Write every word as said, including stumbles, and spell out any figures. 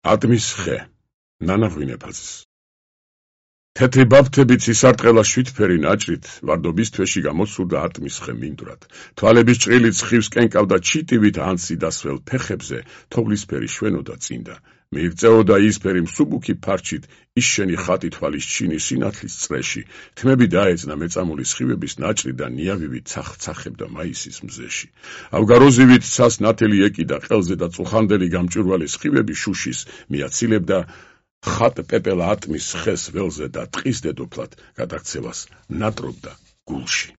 ატმის ხე, ნანა ღვინეფაცის. თეთრი ბაფთებით სისარტყელა შვიდფერი ნაჭრით ვარდობის თვეში გამოსურდა ატმის ხე მინდვრად. თვალების ჭრილით სხივს კენკავდა ჩიტივით ანსი დასველ ფეხებზე თოვლისფერი შვენოდა წინდა. მიირწეოდა ისფერი მსუბუქი ფარჩით ისშენი ხატი თვალის ჩინი სინათლის წრეში. თმები დაეძნა მეწამული სხივების ნაჭრი და ნიავივით ცახ-ცახებდა მაისის მზეში. ავგაროზივით ცას ნათელი ეკიდა ყელზე და წუხანდელი გამჭვირვალე სხივები შუშის მიაცილებდა ხატ პეპელა ატმის ხეს ველზე და ტყის დედოფლად გადაქცევას ნატრობდა გულში.